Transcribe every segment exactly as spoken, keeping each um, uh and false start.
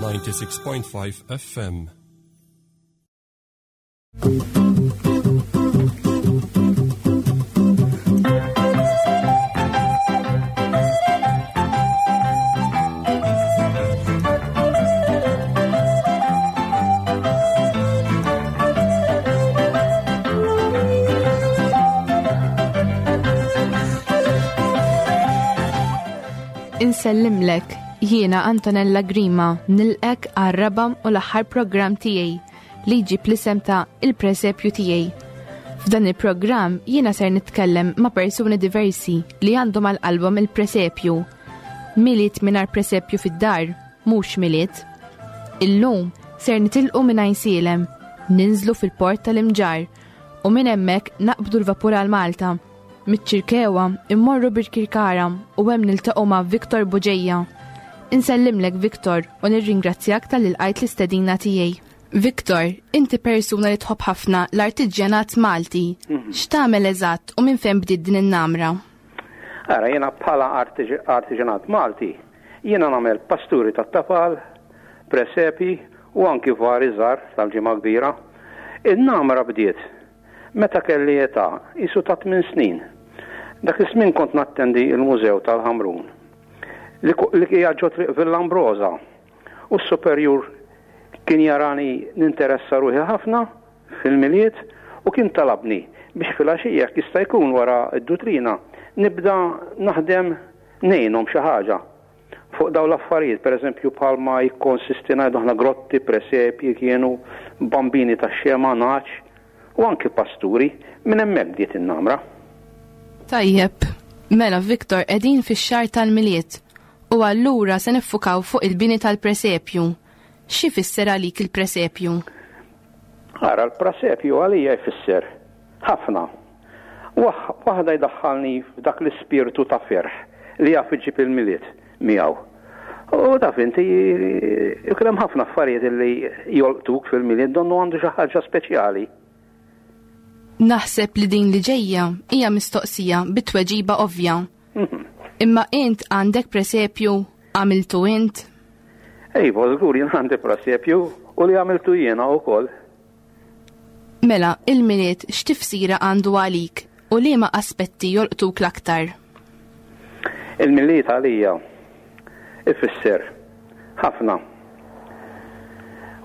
ninety-six point five F M. Insellimlek, jiena Antonella Grima, nilqek għar-raba' u l-aħħar programm tiegħi li jġib l-isem ta' Il-Presepju tiegħi. F'dan il-programm jiena ser nitkellem ma' persuni diversi li għandhom għal qalbhom il-presepju. Milied mingħajr presepju fid-dar, mhux Milied. Illum ser nitilqu minn Għajnsielem, ninżlu fil-port tal-Imġarr u minn hemmhekk naqbdu l-vapur għal Malta. Miċ-Ċirkewwa immorru Birkirkara u hemm niltaqgħu ma' Victor Bugeja. Insellimlek Victor u nirringrazzjak tal-li lqajt l-istedina tiegħi. Victor, inti persuna li tħobb ħafna l-artiġjanat Malti. Mhm. X'tagħmel eżatt u minn fejn bdiet din in-namra? Ara, jiena bħala artiġ-, artiġjanat Malti, jiena nagħmel pasturi tat-tafal, presepi u anki vari żgħar tal-ġimgħa kbira. In-namra bdiet meta kelli età isu ta' tmien snin. Dak iż-żmien kont nattendi il-Mużew tal-Ħamrun li ku-, li hija ġo triq Villa Ambrosa, u s-superjur kien jarani ninteressa ruħi ħafna fil-Milied u kien talabni biex filgħaxija jekk jista' jkun wara d-dutrina nibda naħdem ngħinhom xi ħaġa fuq dawn l-affarijiet, pereżempju bħalma jikkonsisti ngħidu aħna grotti, presepji kienu, bambini tax-xema, nagħaġ u anki pasturi, minn hemmhekk bdiet in-namra. Tajjeb, mela Victor, qegħdin fix-xahar tal-Milied u allura se niffukaw fuq il-bini tal-presepju. Xi jfisser għalik il-presepju? Ara, l-presepju għalija jfisser ħafna. Waħ-, waħda jdaħħalni f'dak l-ispirtu ta' ferħ li jaf iġib il-Milied miegħu. U taf inti, ikun hemm ħafna affarijiet li jolqtuk fil-Milied, donnu għandu xi ħaġa speċjali. Naħseb li din li ġejja hija mistoqsija bit-tweġiba ovvja. Mhm. Imma int għandek presepju għamiltu int? Iva, żgur jien għandi presepju u li għamiltu jiena wkoll. Mela, il-Milied x'tifsira għandu għalik u liema aspetti jolqtuk l-aktar? Il-Milied għalija ifisser ħafna.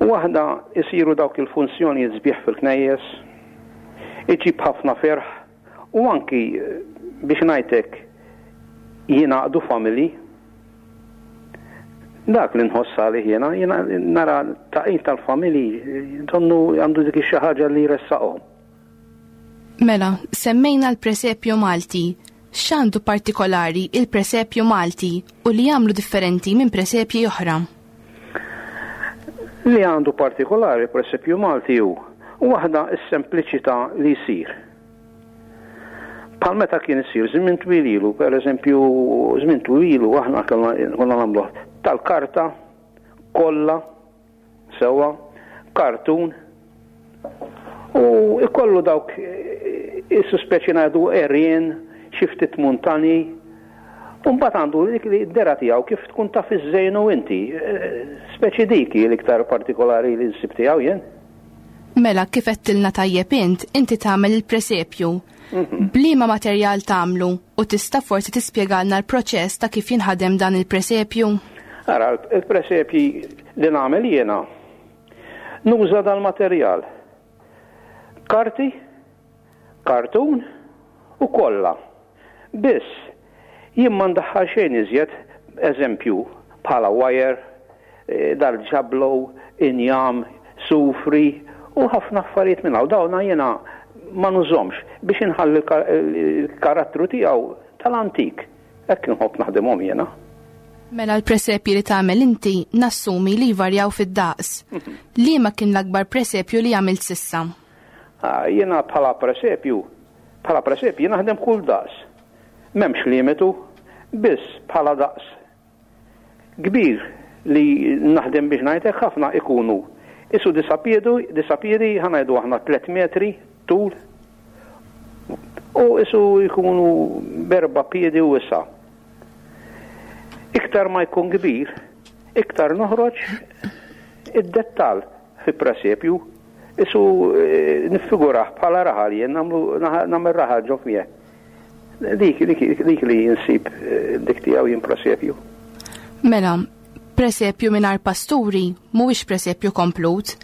Waħda isiru dawk il-funzjoni sbieħ fil-knejjes, iġib ħafna ferħ u anki biex ngħidlek jingħaqdu familji. Dak li nħoss għalih jiena, jiena nara taqid tal-familji donnu għandu dik xi ħaġa li jressaqhom. Mela, semmejna l-presepju Malti. X'għandu partikolari il-presepju Malti u li jagħmlu differenti minn presepji oħra? Li għandu partikolari presepju Malti hu waħda s-sempliċità li jsir. Bħal meta kien isir żmien twil ilu, pereżempju żmien twil ilu aħna kellna konna nagħmluh tal-karta kollha sewwa, kartun, u ikollu dawk is-suspeċi ngħidu għerien, xi ftit muntani, u mbagħad għandu dik li d-dera tiegħu kif tkun taf iżżejnu inti, speċi dik hi l-iktar partikolari li nsib tiegħu jien. Mela, kif għedtilna tajjeb int, inti tagħmel il-presepju. Mhm. Bliema materjal tagħmlu u tista' forsi tispjegalna l-proċess ta' kif jinħadem dan il-presepju? Ara, il-presepji li nagħmel jiena nuża dal-materjal. Karti, kartun u kolla. Biss, jien ma ndaħħal xejn iżjed, eżempju, bħala wire, eh, dal-ġablow, injam, sufri u ħafna affarijiet minn hawn. Dawna jiena ma nużomx biex inħalli l-kar-, il-karattru tiegħu tal-antik. Hekk inħobb naħdimhom jiena. Mela l-presepji li tagħmel inti nassumi li jvarjaw fid-daqs. Mhm. Liema kien l-akbar presepju li għamilt sissa? Ah, jiena bħala presepju, bħala presepju naħdem kull daqs. M'hemmx limitu, biss bħala daqs kbir li naħdem biex ngħidlek ħafna ikunu. Isu disapjedu, disapjedi ħanajdu aħna tliet metri tul u isu jkunu berba piedi u issa. Iktar ma jkun kbir, Iktar noħroġ id-dettal fi presepju, isu eh, niffigurah bħala raħal jien nagħmel raħal ġo fih. Dik, dik, dik li jinsib eh, dik tiegħu jien presepju. Mela, presepju mingħajr pasturi mhuwiex presepju komplut.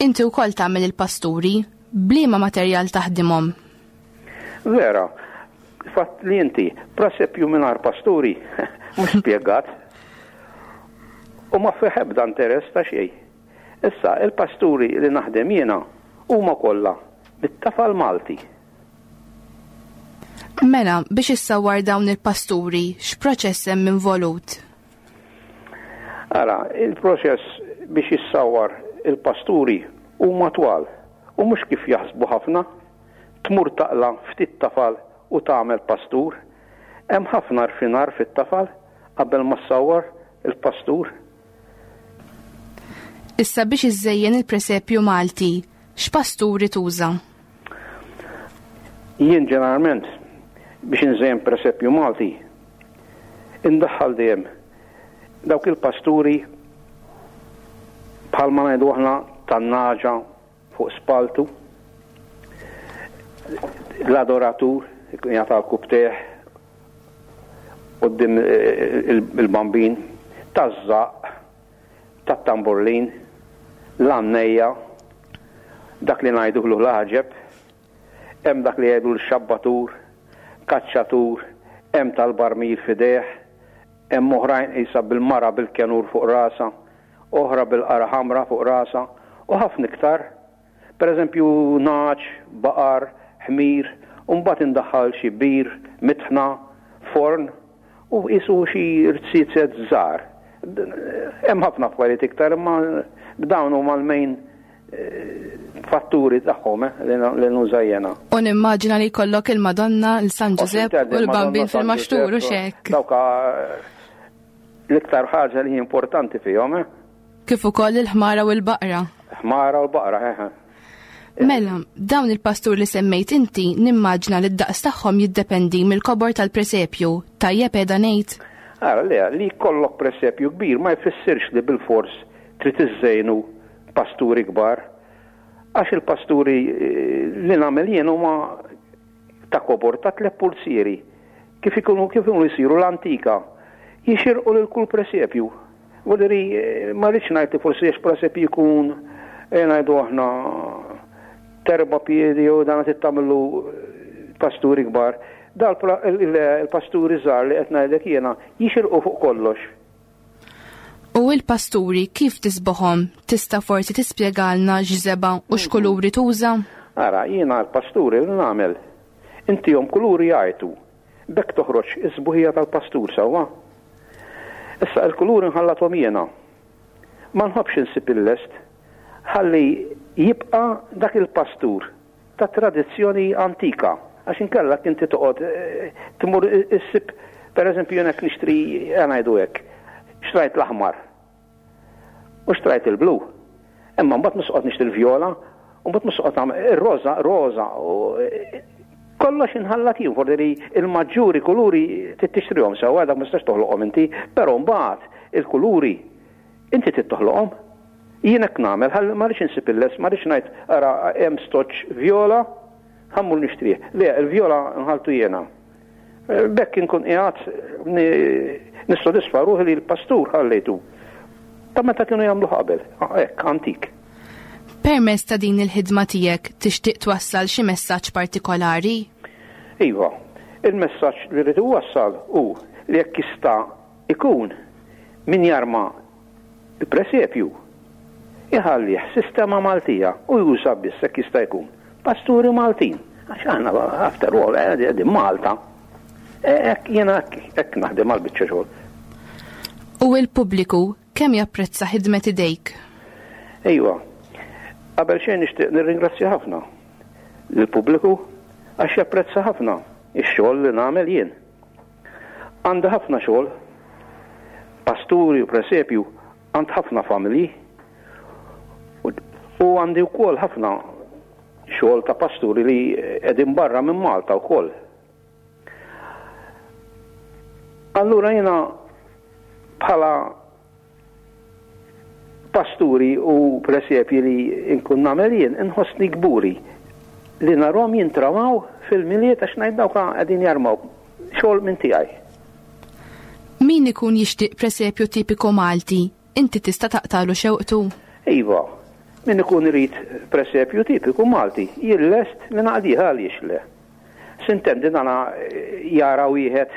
Inti wkoll tagħmel il-pasturi, b'liema materjal taħdimhom? Vera, fatt li inti presepju mingħajr pasturi mhux spjegat. U ma fih ebda interess ta' xejn. Issa, il-pasturi li naħdem jiena huma kollha bit-tafal Malti. Mela, biex issawwar dawn il-pasturi, x'proċess hemm involut? Ara, il-proċess biex jissawwar il-pasturi huma twal u mhux kif jaħsbu ħafna. Tmur taqla ftit tafal u tagħmel pastur. Hemm ħafna rfinar fit-tafal qabel ma ssawwar il-pastur. Issa biex iżżejjen il-presepju Malti, x'pasturi tuża? Jien ġeneralment biex inżejjen presepju Malti indaħħal dejjem dawk il-pasturi bħalma ngħidu aħna tan-naġa fuq spaltu, l-adoratur ikun jagħta l-kubtieħ quddiem il-bambin, taż-żaqq, tat-tamburlin, l-għannejja, dak li ngħidulu l-għaġeb, hemm dak li jgħidu l-xabbatur, kaċċatur, hemm tal-barmil f'idejh, hemm oħrajn qisha bil-mara bil-kenur fuq rasha, oħra bil-qara ħamra fuq rasha, u ħafna iktar. Per eżempju, nagħaġ, baqar, ħmir, u mbagħad indaħħal xi bir, mitħna, forn, u qisu xi rziezet żgħar. Hemm ħafna affarijiet iktar, imma dawn huma l-main fatturi tagħhom eh, li nuża jiena. U nimmaġina li jkollok il-Madonna, il-San Ġużepp u l-Bambin fil-maxtur u xek. Dawk l-iktar ħaġa li importanti fihom. Eh? Kif ukoll il-ħmara u l-baqra. Ħmara u l-baqra, eh. Mela, dawn il-pastur li semmejt inti nimmaġina li d-daqs tagħhom jiddependi mill-kobor tal-presepju. Tajjeb qiegħda ngħid? Ara, le, li jkollok presepju kbir ma jfissirx li bil-fors trid iżżejnu pasturi kbar. Għax il-pasturi li nagħmel jien huma ta' kobor ta' tliet pulsieri. Kif ikunu kif ikunu jsiru l-antika. Jixirqu lil kull presepju. Vuol ma rridx ngħid li forsi għax presepju jkun ngħidu aħna terba piedi jew dan qed tagħmlu pasturi kbar. Dal il-pasturi żgħar li qed ngħidlek jiena jixirqu fuq kollox. U il-pasturi kif tisboħom? Tista' forsi tispjegalna x'żebgħa u x'kuluri tuża? Ara, jiena l-pasturi li nagħmel intihom kuluri jgħajtu. B'hekk toħroġ is-sbuħija tal-pastur sewwa. Issa il-kuluri nħallathom jiena. Ma nħobbx insib il-lest. Ħalli jibqa' dak il-pastur ta' tradizzjoni antika. Għax inkella inti toqgħod tmur issib, per eżempju, jien hekk nixtri, ngħidu hekk, xtrajt l-aħmar u xtrajt il-blu. Imma mbagħad mhux noqgħod nixtri l-vjola, u mbagħad mhux noqgħod nagħmel ir-roża, roża, u kollox inħallat jien, forsi il-maġġuri kuluri trid tixtrihom sewwa, dak ma tistax toħloqhom inti, però mbagħad il-kuluri inti trid toħloqhom. Jien hekk nagħmel, ħalli ma rridx insib il-les, ma rridx ngħid ara hemm stoċ vjola, ħa mmur nixtrih. Le, il-vjola nħaltu jiena. B'hekk inkun qiegħed nissodisfa ruħi li l-pastur ħallejtu. Ta' meta kienu jagħmlu qabel, hekk antik. Permezz ta' din il-ħidma tiegħek tixtieq twassal xi messaġġ partikolari? Iva, il-messaġġ li rrid iwassal hu li jekk jista' ikun min jarma il-presepju iħallih sistema Maltija u juża biss jekk jista' jkun pasturi Maltin. Għax aħna after all qegħdin Malta. Hekk jiena hekk naħdem għall-biċċa xogħol. U l-pubbliku kemm japprezza ħidmet idejk? Ejwa, qabel xejn nixtieq nirringrazzja ħafna lill-pubbliku għax japprezza ħafna ix-xogħol li nagħmel jien. Għandi ħafna xogħol, pasturi u presepju, għand ħafna familji u għandi wkoll ħafna xogħol ta' pasturi li qegħdin barra minn Malta wkoll. Allura jiena bħala Pasturi u presepji li nkun nagħmel jien inħossni kburi li narhom jintramaw fil-Milied għax ngħid dawk qegħdin jarmaw xogħol minn tiegħi. Min ikun jixtieq presepju tipiku Malti, inti tista' taqtalu xewqtu? Iva, min ikun irid presepju tipiku Malti, jien lest li naqdih għaliex le. Sintendi dana jara wieħed,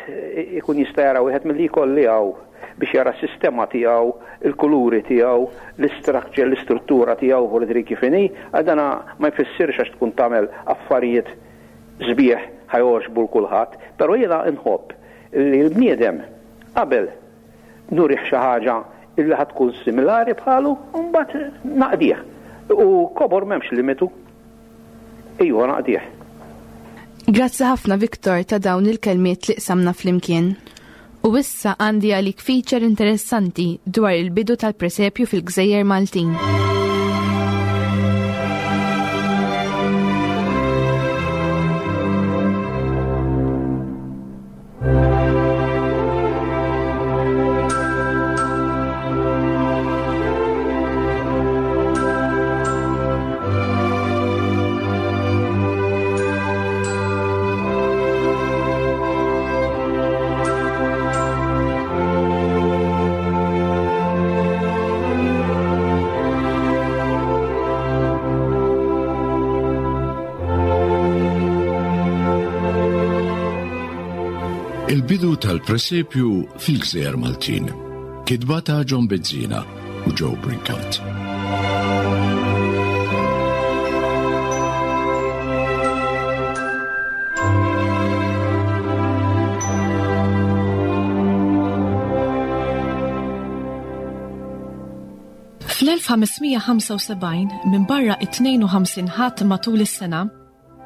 ikun jista' jara wieħed milli jkolli hawn biex jara s-sistema tiegħu, il-kuluri tiegħu, l-istructure, l-istruttura tiegħu u li kif inhi, għal dana ma jfissirx għax tkun tagħmel affarijiet sbieħ ħa jogħġbu 'l kulħadd, però jiena nħobb li l-bniedem qabel nurih xi ħaġa illi ħa tkun similari bħalu, u mbagħad naqdih. U kobor m'hemmx limitu. Ejwa naqdih. Grazzi ħafna Viktor ta' dawn il-kelmiet li qsamna flimkien. U issa għandi għalik feature interessanti dwar il-bidu tal-presepju fil-Gżejjer Maltin. Il-bidu tal-presepju fil-Gżejjer Maltin. Kitba ta' John Bezzina u Joe Brincat. Fl-elf ħames mija ħamsa u sebgħin, minn barra it-tnejn u ħamsin Ħadd matul is-sena,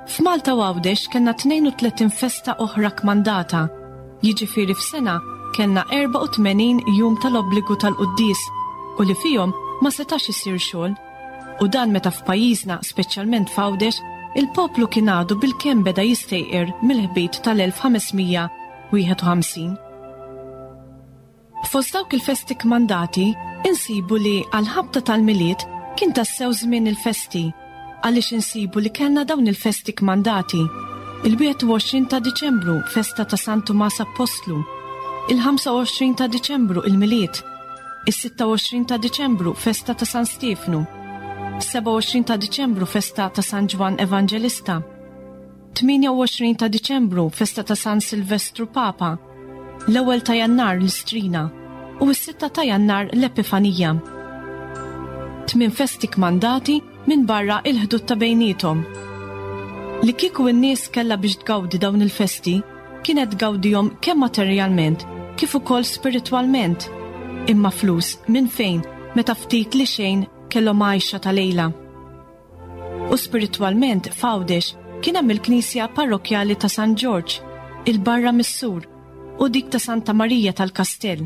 f'Malta u Għawdex kellna tnejn u tletin festa oħra kmandata, jiġifieri f'sena kellna erba' u tmenin jum tal-obbligu tal-quddies u li fihom ma setax isir xogħol. U dan meta f'pajjiżna, speċjalment f'Għawdex, il-poplu kien għadu bil-kemm beda jistejqer mill-ħbit tal-elf ħames mija wieħed u ħamsin. Fost dawk il-festi kmandati, insibu li għal-ħabta tal-Milied kien tassew żmien il-festi, għaliex insibu li kellna dawn il-festi kmandati. Il-wieħed u għoxrin ta' Diċembru, festa ta' San Tumas Apostlu. Il-ħamsa u għoxrin ta' Diċembru, il-Milied. Is-sitta u għoxrin ta' Diċembru, festa ta' San Stiefnu. Seba' u għoxrin ta' Diċembru, festa ta' San Ġwann Evanġelista. Tmienja u għoxrin ta' Diċembru, festa ta' San Silvestru Papa. L-ewwel ta' Jannar l-Istrina u s-sitta ta' Jannar l-Epifanija. Tmien festi kmandati minn barra il-ħdud ta' bejniethom. Li kieku n-nies kellha biex tgawdi dawn il-festi, kienet tgawdihom kemm materjalment kif ukoll spiritwalment. Imma flus minn fejn meta ftit li xejn kellhom għajxa ta' lejla. U spiritwalment f'Għawdex kien hemm il-Knisja Parrokkjali ta' San Ġorġ, il-Barra Missur, u dik ta' Santa Marija tal-Kastell.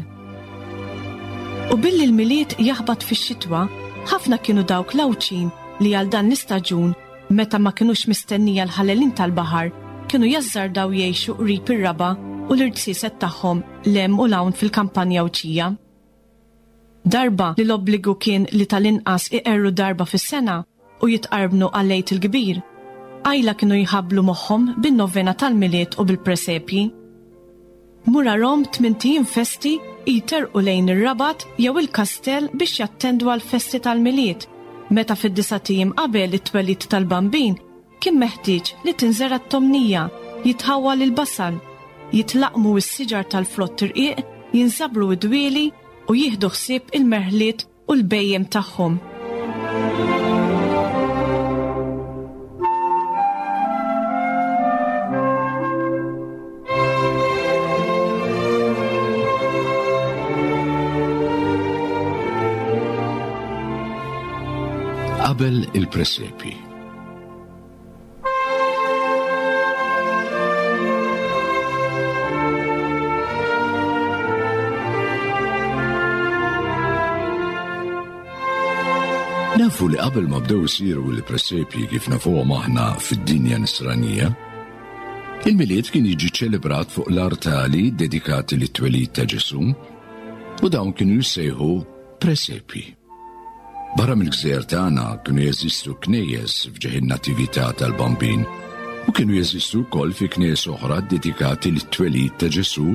U billi l-Milied jaħbat fix-xitwa, ħafna kienu dawk l-Għawdxin li għal dan l-istaġun, meta ma kinux mistennija l-ħalelin tal-baħar, kienu jażżardaw jgħixu qrib ir-raba u l-irtsiset tagħhom lem u lawn fil-kampanja Għawdxija. Darba li l-obbligu kien li tal-inqas iqerru darba fis-sena u jitqarbnu għal-Għid il-Kbir, għajla kienu jħabblu moħħhom bin-novena tal-Milied u bil-presepji. Murarhom tmint ijiem festi jiterqu lejn ir-Rabat jew il-Kastell biex jattendu għal-festi tal-Milied, meta fid-disa' ijiem qabel it-twelid tal-Bambin kien meħtieġ li tinżera t-tomnija, jitħawwal il-basal, jitlaqmu s-siġar tal-frott irqiq, jinżabru d-dwieli u jieħdu ħsieb il-merħliet u l-bejjem tagħhom. Qabel il-presepi. Nafu li qabel ma bdew isiru l-presepji kif nafuhom aħna fid-dinja nisranija, il-Milied kien jiġi ċelebrat fuq l-artali dedikati lit-twelid ta' Ġesu, u dawn kienu jissejħu presepji. Barra mill-gżejjer tagħna kienu jeżistu knejjes f'ġieħ in-natività tal-Bambin u kienu jeżistu wkoll fi knejjes oħra dedikati lit-twelid ta' Ġesù,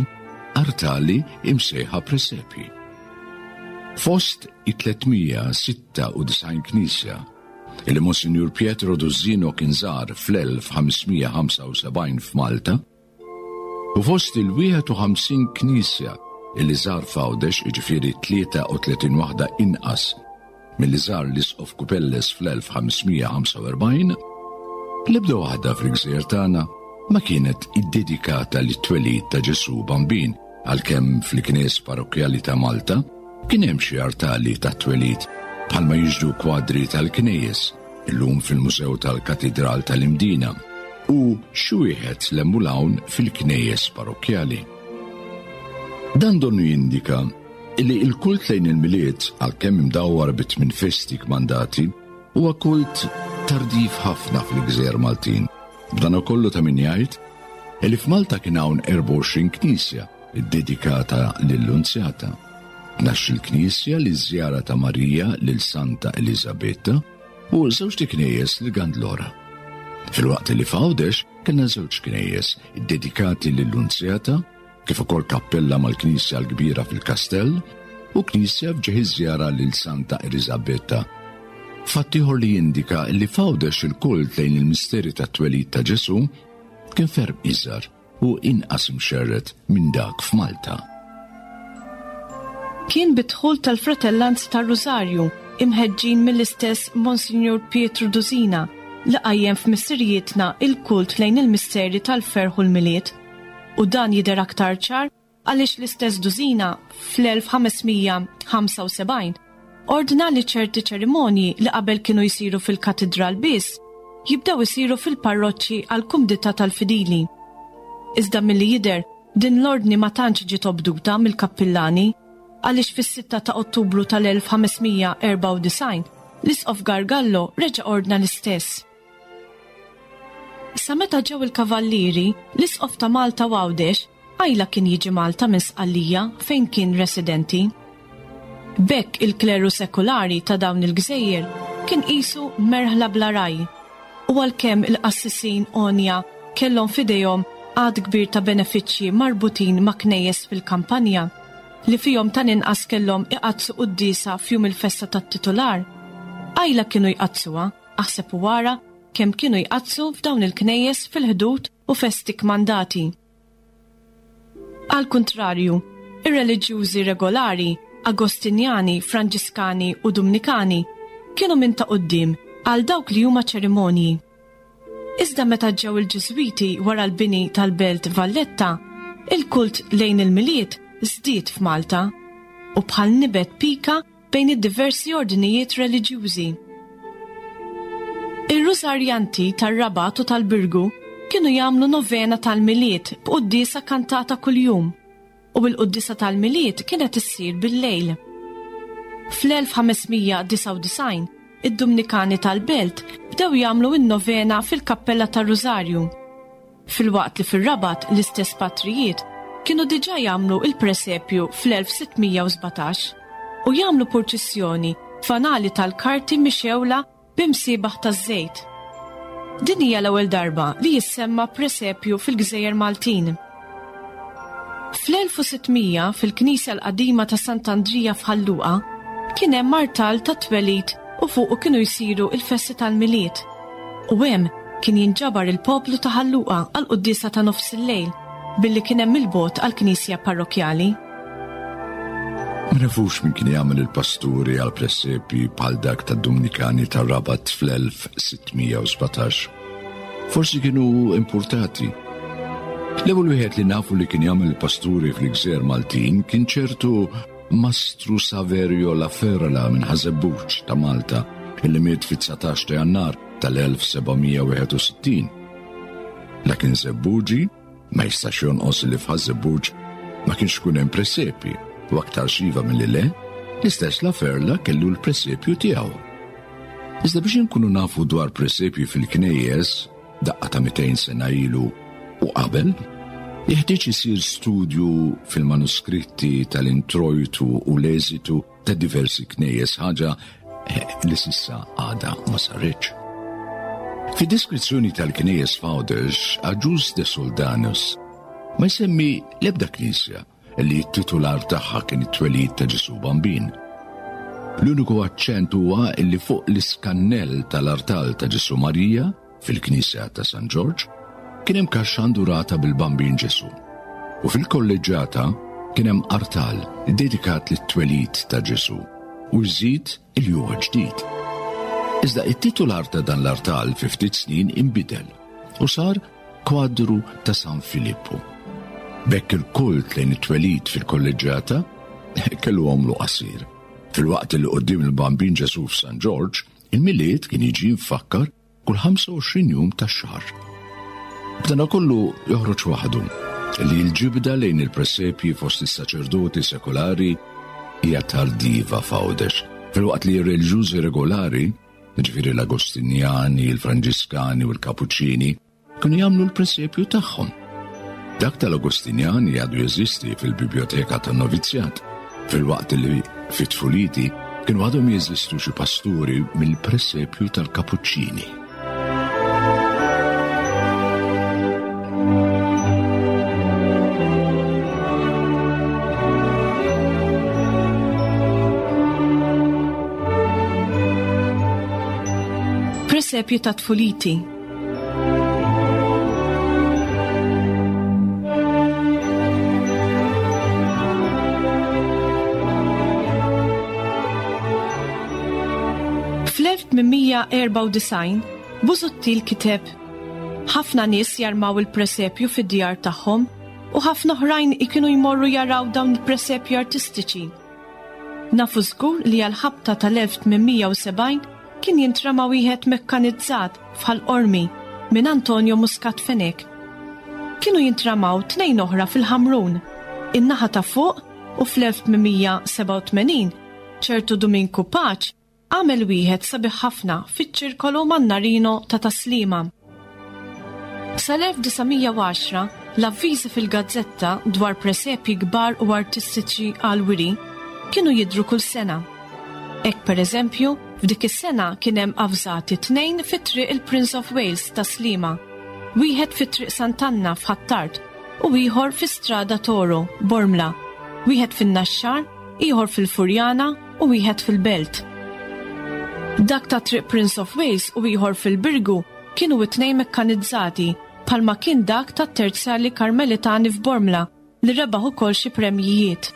artali imsejħa presepji. Fost it-tliet mija sitta u disgħin knisja illi Monsinjur Pietro Duzzino kien żar fl-elf ħamsmija ħamsa u sebgħin f'Malta, u fost il-wieħed u ħamsin knisja illi żar f'Għawdex, jiġifieri tlieta u tletin waħda inqas milli żar l-Isqof Cupelles fl-elf ħamsmija ħamsa u erbgħin, l-ebda waħda fil-gżejjer tagħna ma kienet iddedikata lit-twelid ta' Ġesù Bambin, għalkemm fil-knies parrokkjali ta' Malta kien hemm xi artali tat-twelid bħalma jiġdu kwadri tal-knejjes illum fil-Mużew tal-Katidral tal-Imdina u xi wieħed l-hemm fil-knejjes parrokkjali. Dan donnu jindika illi il-kult lejn il-Milied, għalkemm imdawwar bi tmien festi kmandati, huwa kult tardiv ħafna fil-gżejjer Maltin. B'dan ukollu ta' min jgħid illi f'Malta kien hawn erbgħa u għoxrin knisja ddedikata lill-Lunzjata, tnax-il knisja li żjara ta' Marija lil Santa Elisabetta u żewġ knejjes li Gandlora. Filwaqt li f'Għawdex kellna żewġ knejjes ddedikati lill-Lunzjata, kif ukoll kappella mal-Knisja l-Kbira fil-Kastell u knisja f'ġieħ iż-żjara lil Santa Elisabetta. Fatt ieħor li jindika li f'Għawdex il-kult lejn il-misteri tat-twelid ta' Ġesù kien ferm iżgħar u inqas imxerred minn dak f'Malta. Kien bidħul tal-Fratellanza tar-Rużarju imħeġġin mill-istess Monsignor Pietro Dusina li qajjem f'missirijietna il-kult lejn il-misteri tal-ferħ u l-Milied. U dan jidher aktar ċar għaliex l-istess Dusina fl-elf ħamesmija ħamsa u sebgħin ordna li ċerti ċerimonji li qabel kienu jsiru fil-katedral biss jibdew isiru fil-parroċċi għal kumdità tal-fidili. Iżda milli jidher din l-ordni ma tantx ġiet obduta mill-kappillani għaliex fis-sitta ta' Ottubru tal-elf ħamesmija erbgħa u disgħin l-Isqof Gargallo reġa' ordna l-istess. Sa meta ġew il-kavallieri, l-Isqof ta' Malta u Għawdex għajla kien jiġi Malta minn Sqallija fejn kien residenti. B'hekk il-kleru sekulari ta' dawn il-gżejjer kien qisu merħla bla raj, u għalkemm il-qassisin għonja kellhom f'idejhom għadd kbir ta' benefiċċji marbutin ma' knejjes fil-kampanja, li fihom tal-inqas kellhom iqaddsu quddiesa f'jum il-festa tat-titular, għajla kienu jqaddsuha, aħseb u wara kemm kienu jqaddsu f'dawn il-knejjes fil-ħdud u festi kmandati. Al kontrarju, ir-reliġjużi regolari, Agostinjani, Franġiskani u Dumnikani kienu minn ta' quddiem għal dawk li huma ċerimonji. Iżda meta ġew il-Ġiżwiti wara l-bini tal-Belt Valletta, il-kult lejn il-Milied żdied f'Malta u bħal nibet pika bejn id-diversi ordnijiet reliġjużi. Ir-Rużarjanti tar-Rabat u tal-Birgu kienu jagħmlu novena tal-Milied b'quddiesa kantata kuljum, u l-quddiesa tal-Milied kienet issir bil-lejl. Fl-elf ħamesmija disgħa u disgħin, id-Dumnikani tal-Belt bdew jagħmlu n-novena fil-Kappella tar-Rużarju. Filwaqt li fir-Rabat l-istess patrijiet kienu diġà jagħmlu il-presepju fl-elf sittmija u sbatax u jagħmlu purċissjoni fanali tal-karti mixewla b'imsiebaħ taż-żejt. Din hija l-ewwel darba li jissemma presepju fil-Gżejjer Maltin. Fl-elf u sittmija fil-Knisja l-Qadima ta' Sant'Andrija f'Ħal Luqa kien hemm artal ta' twelid u fuqu kienu jsiru il-festi tal-Milied. U hemm kien jinġabar il-poplu ta' Ħal Luqa għal quddiesa ta' nofs il-lejl billi kien hemm il-bot għall-Knisja parrokjali. Ma nafux min kien jagħmel il-pasturi għal presepi bħal dak tad-Dumnikani tar-Rabat fl-elf sittmija u sbatax. Forsi kienu importati. L-ewwel wieħed li nafu li kien jagħmel il-pasturi fil-Gżejjer Maltin kien ċertu Mastru Saverio La Ferla minn Ħaż-Żebbuġ ta' Malta, illi miet fit-dsatax ta' Jannar tal-elf sebgħamija wieħed u sittin. La kien Żebbuġi, ma jistax jonqos li f'Ħaż-Żebbuġ ma kienx ikun hemm presepi, u aktar xiva milli le, l-istess La Ferla kellu l-presepju tiegħu. Iżda biex inkunu nafu dwar presepju fil-knejjes, daqqa ta' mitejn sena ilu u qabel, jeħtieġ isir studju fil-manuskritti tal-introjtu u l-eżitu ta' diversi knejjes, ħaġa li s'issa għadha ma saritx. Fid-deskrizzjoni tal-knejjes f'Għawdex, Agius de Soldanus ma jsemmi l-ebda knisja li t-titular tagħha kien it-twelid ta' Ġesù Bambin. L-uniku aċċent huwa li fuq l-iskannell tal-artal ta' Ġesù Marija fil-Knisja ta' San Ġorġ kien hemm kaxxa ndurata bil-Bambin Ġesù. U fil-kolleġġjata kien hemm artal dedikat lit-twelid ta' Ġesù u jżid il huwa ġdid. Iżda it-titular ta' dan l-artal fi ftit snin inbidel u sar kwadru ta' San Filippo. B'hekk il-kult lejn it-twelid fil-kolleġġjata kellu għomlu qasir. Filwaqt li quddiem il-Bambin Ġesù f'San Ġorġ, il-Milied kien jiġi mfakkar kull ħamsa u għoxrin jum tax-xahar. B'dana kollu joħroġ waħdu li l-ġibda lejn il-presepji fost is-saċerdoti sekolari hija tardiva f'Għawdex, filwaqt li r-reliġjużi regolari, ġifieri l-Agostinjani, il-Franġiskani u l-Kapuċċini, kienu jagħmlu l-presepju tagħhom. Dak tal-Agostinjani għadu jeżisti fil-Biblioteka tan-Novizzjat, filwaqt li fit-tfuliti kienu għadhom jeżistu xi pasturi mill-presepju tal-Kapuċċini. Presepju ta' tfuliti. Fl-elf tmien erba' u disgħin, Busuttil kiteb: Ħafna nies jarmaw il-presepju fid-djar tagħhom u ħafna oħrajn ikunu jmorru jaraw dawn il-presepju artistiċi. Nafu żgur li għal-ħabta tal-elf tmien mija u sebgħin kien jintrama wieħed mekkanizzat f'Ħal Qormi minn Antonio Muscat Fenech. Kienu jintramaw tnejn oħra fil-Ħamrun, in-naħa ta' fuq, u fl-elf tmien mija sebgħa u tmenin ċertu Dominku Paċ għamel wieħed sabiħ ħafna fiċ-ċirkolu Mannarino ta' Taslima. Sal-elf disa' mija u għaxra, l-avviżi fil-gazzetta dwar presepji kbar u artistiċi għal-wiri kienu jidhru kull sena. Hekk per eżempju, f'dik is-sena kien hemm avżati tnejn fit-triq il-Prince of Wales ta' Sliema, wieħed fit-triq Sant'Anna f'Ħ'Attard u ieħor fi Strada Toro, Bormla, wieħed fin-Naxxar, ieħor fil-Furjana u wieħed fil-Belt. Dak ta' triq Prince of Wales u ieħor fil-Birgu kienu it-tnejn mekkanizzati bħalma kien dak ta' Terzjali Karmelitani f'Bormla li rebaħ ukoll xi premjijiet.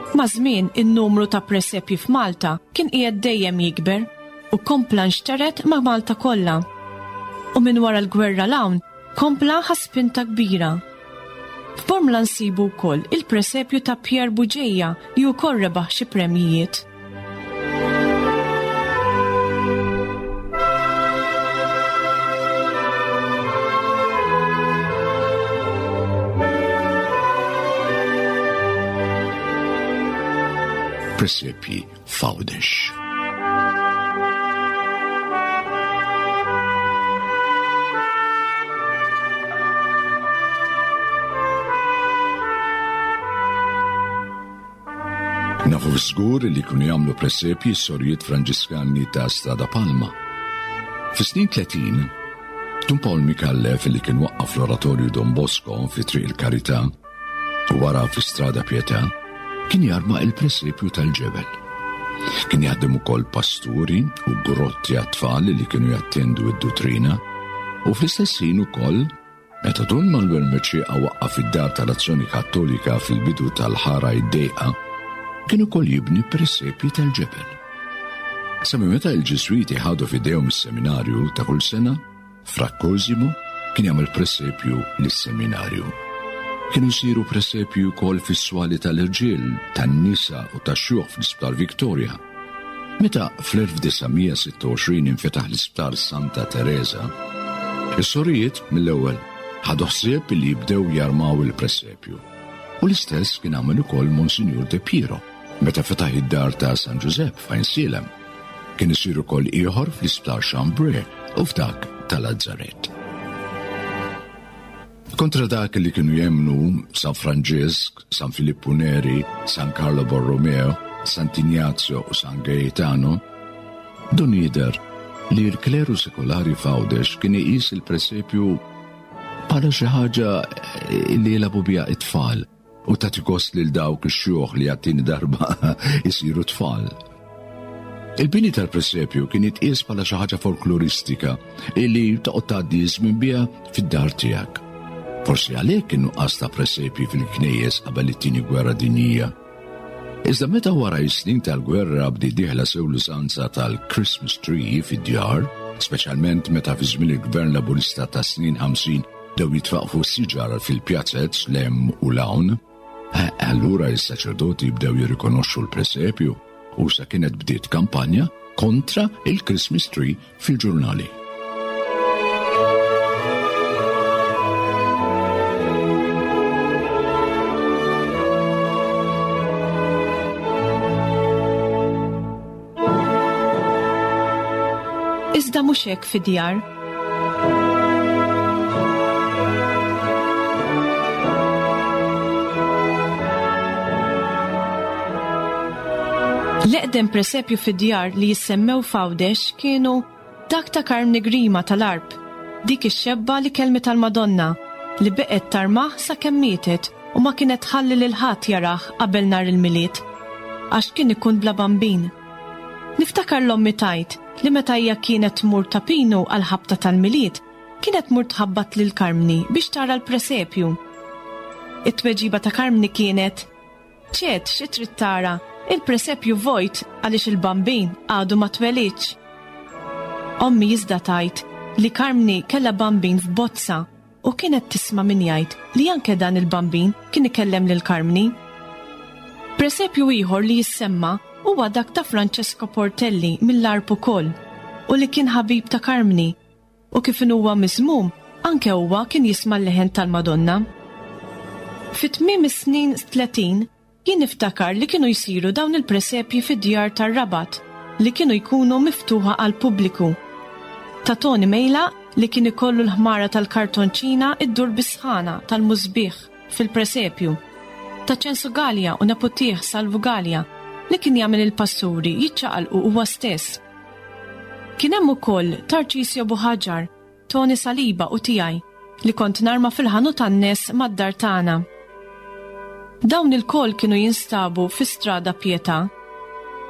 Ma' żmien in-numru ta' presepji f'Malta kien qiegħed dejjem jikber u kompla nxteret ma' Malta kollha. U minn wara l-gwerra l-hawn kompla ħa spinta kbira. F'Bormla nsibu wkoll il-presepju ta' Pier Buġeja li wkoll rebaħ xi premjijiet. Presepji f'Għawdex. Nafu żgur li kienu jagħmlu presepji s-sorijiet Franġiskani ta' Strada Palma. Fis-snin tletin, Dun Paul Micallef li kien waqqaf l-Oratorju Don Bosco fi Triq il-Karità u wara fi Strada Pietà, kien jarma il-presepju tal-ġebel. Kien jaħdem ukoll pasturi u grotti għat-tfal li kienu jattendu id-duttrina u fl-istess ħin ukoll meta Dun Manuel Mercieca waqqaf id-dar tal-Azzjoni Kattolika fil-bidu tal-ħara id-dejqa, kien ukoll jibni presepji tal-ġebel. Sa minn meta l-Ġiżwiti ħadu f'idejhom is-seminarju ta' kull sena, Fra Cosimo kien jagħmel presepju lis-seminarju. Kienu jsiru presepju wkoll fis-swali tal-irġiel, tan-nisa u tax-xjuħ fl-Isptar Victoria. Meta fl-elf disa' mija sitta u għoxrin infetaħ l-Isptar Santa Teresa, is-sorijiet mill-ewwel ħadu ħsieb li jibdew jarmaw il-presepju. U l-istess kien għamel ukoll Monsinjur De Piro meta fetaħ id-dar ta' San Ġużepp f'Għajnsielem. Kien isir ukoll ieħor fl-Isptar Chambray u f'dak tal-Lazzaret. Kontra dak li kienu jemnu San Franġisk, San Filippo Neri, San Carlo Borromeo Sant'Ignazio u San Gaetano, dun jidher li l-kleru sekolari f'Għawdex kien iqis il-presepju bħala xi ħaġa li jilagħbu biha it-tfal u tagħti gost lil dawk ix-xjuħ li għat-tieni darba isiru tfal. Il-bini tal-presepju kien jitqies bħala xi ħaġa folkloristika illi toqgħod tgħaddi żmien biha fid-dar tiegħek. Forsi għalhekk in-nuqqas ta' presepji fil-knejjes qabel it-tieni gwerra dinjija. Iżda meta wara s-snin tal-gwerra bdiet dieħla sew l-użanza tal-Christmas tree fid-djar, speċjalment meta fi żmien il-Gvern Laburista ta' snin ħamsin bdew jitfaqfu siġar fil-pjazzez lem u lawn, allura s-saċerdoti bdew jirrikonoxxu l-presepju u sa kienet bdiet kampanja kontra il-Christmas tree fil-ġurnali. Iżda mhux hekk fid-djar. L-eqdem presepju fid-djar li jissemmew f'Għawdex kienu dak ta' Karmni Grima tal-Arb, dik ix-xebba li kelmet tal-Madonna li beqgħet tarmah sakemm mietet u ma kienet tħalli lil ħadd jarah qabel nhar il-Milied, għax kien ikun bla bambin. Niftakar l-ommi tgħid li meta hija kienet tmur ta' Pinu għal ħabta tal-Milied, kienet tmur tħabbat lil Karmni biex tara l-presepju. It-tweġiba ta' Karmni kienet: ċed xi trid tara, il-presepju vojt għaliex il-bambin għadu ma twelidx. Ommi iżda tgħid li Karmni kellha bambin f'bozza u kienet tisma' min jgħid li anke dan il-bambin kien ikellem lil Karmni. Presepju ieħor li jissemma huwa dak ta' Francesco Portelli mill-Arb ukoll u li kien ħabib ta' Karmni u kif huwa miżmum anke huwa kien jisma' l-leħen tal-Madonna. Fi tmiem is-snin tletin jien niftakar li kienu jsiru dawn il-presepji fid-djar tar-Rabat li kienu jkunu miftuħa għal pubbliku. Ta' Tony Mejla li kien ikollu l-ħmara tal-kartonċina iddur bisħana tal-musbieħ fil-presepju. Ta' Ċensu Gallia u neputih Salvu Gallia li kien jagħmel il-pasturi jiċċaqalqu huwa stess. Kien hemm ukoll Tarċisio Buħaġar, Tony Saliba u tiegħi li kont narma fil-ħanut tan-nies mad-dar tagħna. Dawn il-kol kienu jinstabu fi Strada Pietà,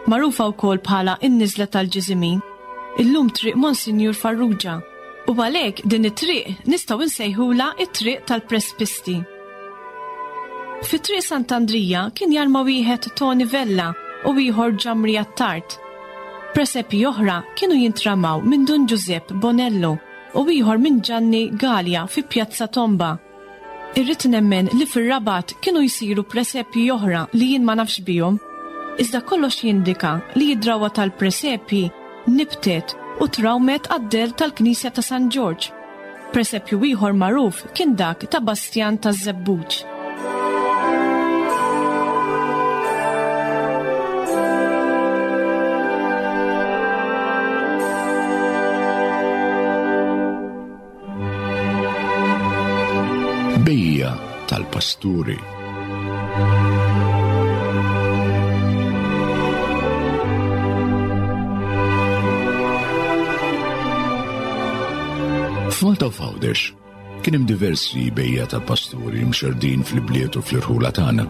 magħrufa wkoll bħala n-Niżla tal-Ġiżimin, illum triq Monsinjur Farrugia, u għalhekk din it-triq nistgħu nsejħulha it-triq tal-Prespisti. Fi triq Sant'Andrija kien jarma wieħed Tony Vella u ieħor Ġamri Attard. Presepi oħra kienu jintramaw minn Dun Giuseppe Bonello u ieħor minn Gianni Gallia fi Pjazza Tomba. Irrid nemmen li fir-Rabat kienu jsiru presepji oħra li jien ma nafx bihom, iżda kollox jindika li id-drawa tal-presepji nibtet u trawmet għad-del tal-Knisja ta' San Ġorġ. Presepju ieħor magħruf kien dak ta' Bastjan taż-Żebbuġ. Bejja tal-pasturi. F'Malta u f'Għawdex kien hemm diversi bejja tal-pasturi mxerdin fil-bliet u fl-irħula tagħna.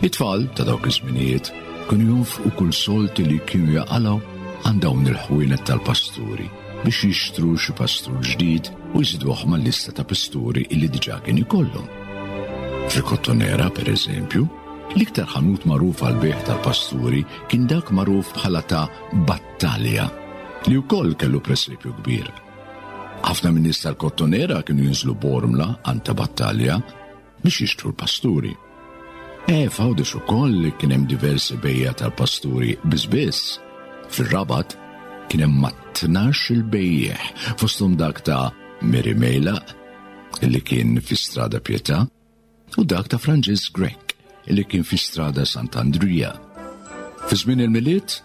It-tfal ta' dawk iż-żminijiet kienu jonfqu kull solt li kienu jaqalgħu għand dawn il-ħwienet tal-pasturi biex jixtru xi pastur ġdid u jżiduh mal-lista ta' pasturi illi diġà kien ikollhom. Fil-Kottonera, per eżempju, l-iktar ħanut magħruf għal bejgħ tal-pasturi kien dak magħruf bħala ta' Battalja, li wkoll kellu presepju kbir. Ħafna min-nies tal-Kottonera kienu jinżlu Bormla għand ta' Battalja biex jixtru l-pasturi. E f'Għawdex ukoll kien hemm diversi bejja tal-pasturi biss biss. Fir-Rabat kien hemm mat-tnax il-bejjeħ, fosthom dak ta' Mary Mejla li kien fi Strada Pietà u dak ta' Francis Grech li kien fi Strada Sant'Andrija. Fi żmien il-Milied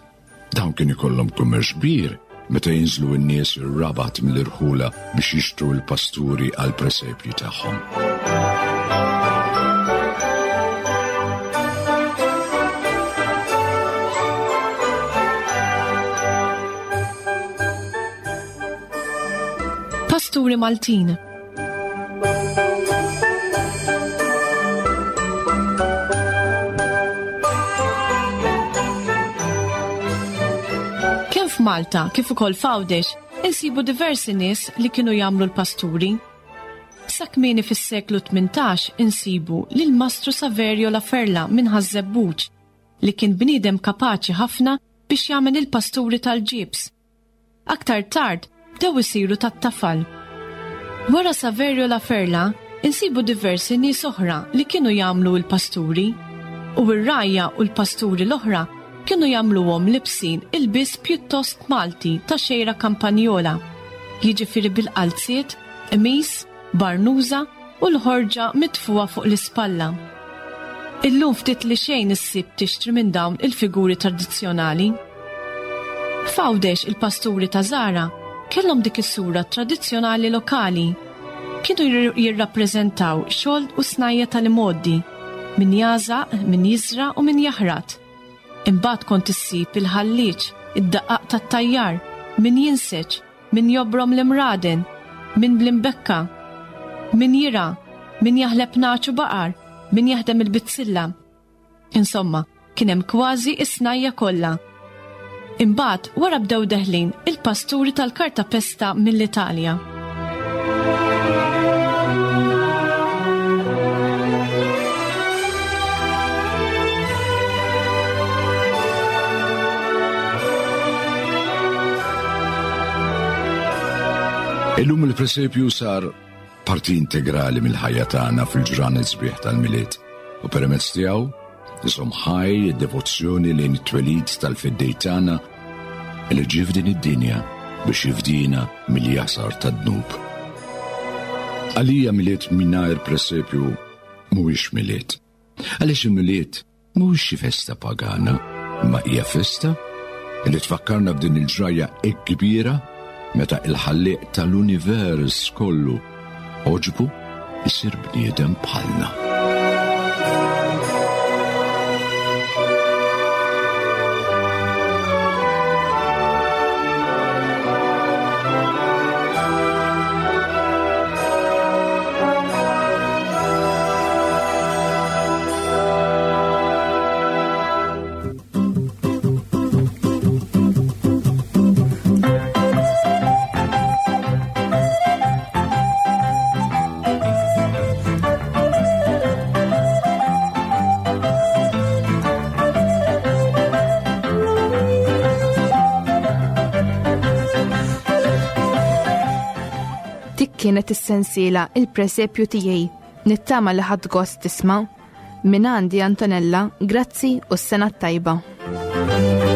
dawn kien ikollhom kummerċ kbir meta jinżlu n-nies ir-Rabat mill-irħula biex jixtru l-pasturi għal presepji tagħhom. il-pasturi Maltin. Kemm f'Malta kif ukoll f'Għawdex insibu diversi nies li kienu jagħmlu l-pasturi. Sa kmieni fis-seklu tmintax insibu lil Mastru Saverio La Ferla minn Ħaż-Żebbuġ li kien bniedem kapaċi ħafna biex jagħmel il-pasturi tal-ġibs. Aktar tard bdew isiru tat-tafal. Wara Saverio La Ferla insibu diversi nies oħra li kienu jagħmlu l-pasturi, u r-rgħajja u l-pasturi l-oħra kienu jagħmluhom libsin ilbies pjuttost Malti ta' xejra kampanjola, jiġifieri bil-qalziet, qmis, barnuża u l-ħorġa mitfuha fuq l-ispalla. Illum ftit li xejn issib tixtri minn dawn il-figuri tradizzjonali. F'Għawdex il-pasturi ta' Zara kellhom dik is-sura tradizzjonali lokali. Kienu jirr-, jirrappreżentaw xogħol u snajja tal-imgħoddi, min jażaq, min jiżra u min jaħrat. Imbagħad kont issib il-ħalliġ, id-daqqaq tat-tajjar, min jinseġ, min jobrom l-imraden, min bl-imbekka, min jira, min jaħleb nagħaġ u baqar, min jaħdem il-bizzilla. Insomma, kien hemm kważi is-snajja kollha. Imbagħad wara bdew deħlin il-pasturi tal-kartapesta mill-Italja. Illum il-presepju sar parti integrali mill-ħajja tagħna fil-ġranet sbieħ tal-Milied u permezz tiegħu iżomm ħaj id-devozzjoni lejn it-twelid tal-Feddej tagħna li ġie f'din id-dinja biex jifdina mill-jasar tad-dnub. Għalija Milied mingħajr presepju mhuwiex Milied. Għaliex il-Milied mhuwiex xi festa pagana, imma hija festa li tfakkarna b'din il-ġrajja hekk kbira meta il-ħallieq tal-univers kollu għoġbu isir bniedem bħalna. Kienet is-sensiela Il-Presepju tiegħi. Nittama li ħadd gost tisma'. Min għandi Antonella, grazzi u s-sena t-tajba.